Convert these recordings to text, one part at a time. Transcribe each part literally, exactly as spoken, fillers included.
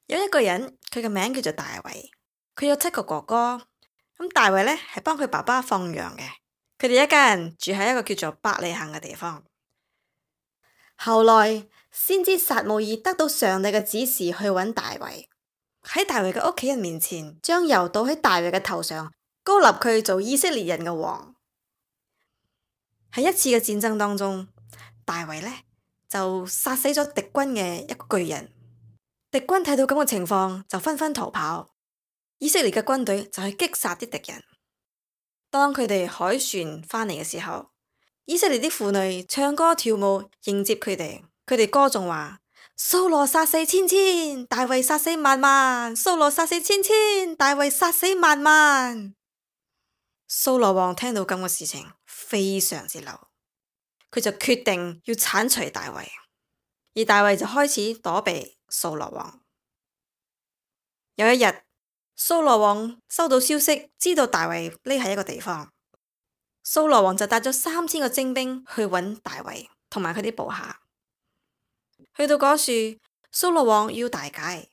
有一個人，佢嘅名叫做大衛，佢有七個哥哥。咁大衛呢係幫佢爸爸放羊嘅，佢哋一家人住喺一個叫做伯利恆嘅地方。後來先知撒母耳得到上帝嘅指示去揾大衛，喺大衛嘅屋企人面前，將油倒喺大衛嘅頭上，膏立佢做以色列人嘅王。喺一次嘅戰爭當中，大衛呢就殺死咗敵軍嘅一個巨人。敵軍睇到咁嘅情況，就紛紛逃跑。以色列嘅軍隊就去擊殺啲敵人。當佢哋海船返嚟嘅時候，以色列啲婦女唱歌跳舞迎接佢哋。佢哋歌頌話：掃羅殺死千千，大衛殺死萬萬；掃羅殺死千千，大衛殺死萬萬。掃羅王聽到咁嘅事情，非常之嬲，佢就決定要鏟除大衛。而大衛就開始躲避掃羅王。有一日，掃羅王收到消息，知道大衛匿喺一個地方。掃羅王就帶咗三千個精兵去揾大衛同埋佢啲部下。去到嗰處，掃羅王要大解，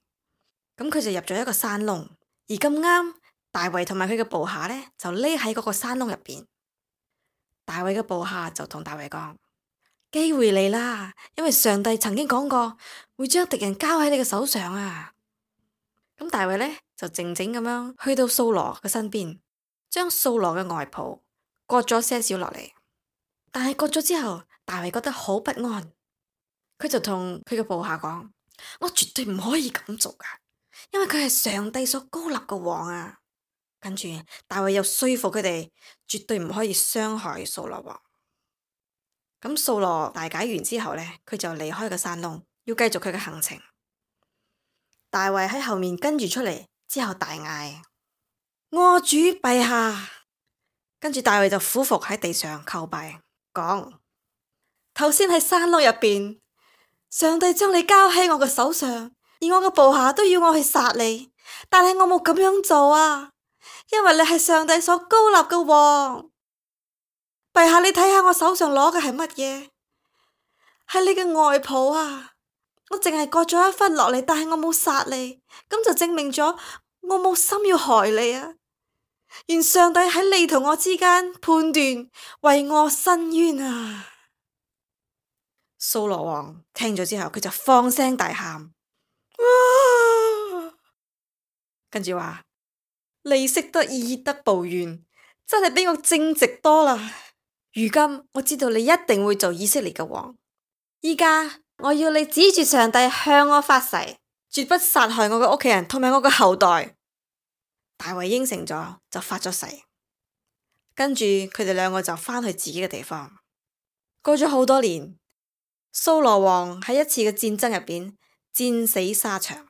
咁佢就入咗一個山窿。而咁啱，大衛同埋佢嘅部下呢，就匿喺嗰個山窿入邊。大衛嘅部下就同大衛講：機會嚟啦，因為上帝曾經講過會將敵人交喺你嘅手上啊！咁大衛呢，就靜靜咁樣去到掃羅嘅身邊，將掃羅嘅外袍割咗些少落嚟。但係割咗之後，大衛覺得好不安，佢就同佢嘅部下講：我絕對唔可以咁做噶，因為佢係上帝所膏立嘅王啊！跟住大衛又說服佢哋，絕對唔可以傷害掃羅王。咁掃羅大解完之後呢，佢就離開個山窿，要繼續佢嘅行程。大衛喺後面跟住出嚟之後大嗌：我主陛下！跟住大衛就俯伏喺地上叩拜，講：頭先喺山窿入邊，上帝將你交喺我嘅手上，而我嘅部下都要我去殺你，但係我冇咁樣做啊，因為你係上帝所膏立嘅王。陛下，你睇下我手上攞嘅係乜嘢？係你嘅外袍啊！我淨係割咗一忽落嚟，但係我冇殺你，咁就證明咗我冇心要害你啊！願上帝喺你同我之間判斷，為我伸冤啊！掃羅王聽咗之後，佢就放聲大喊，跟住話：你識得以德報怨，真係比我正直多啦！如今我知道你一定會做以色列嘅王，依家。我要你指住上帝向我發誓，絕不殺害我嘅屋企人同埋我嘅後代。大衛應承咗，就發咗誓。跟住佢哋兩個就返去自己嘅地方。過咗好多年，掃羅王喺一次嘅戰爭入邊戰死沙場。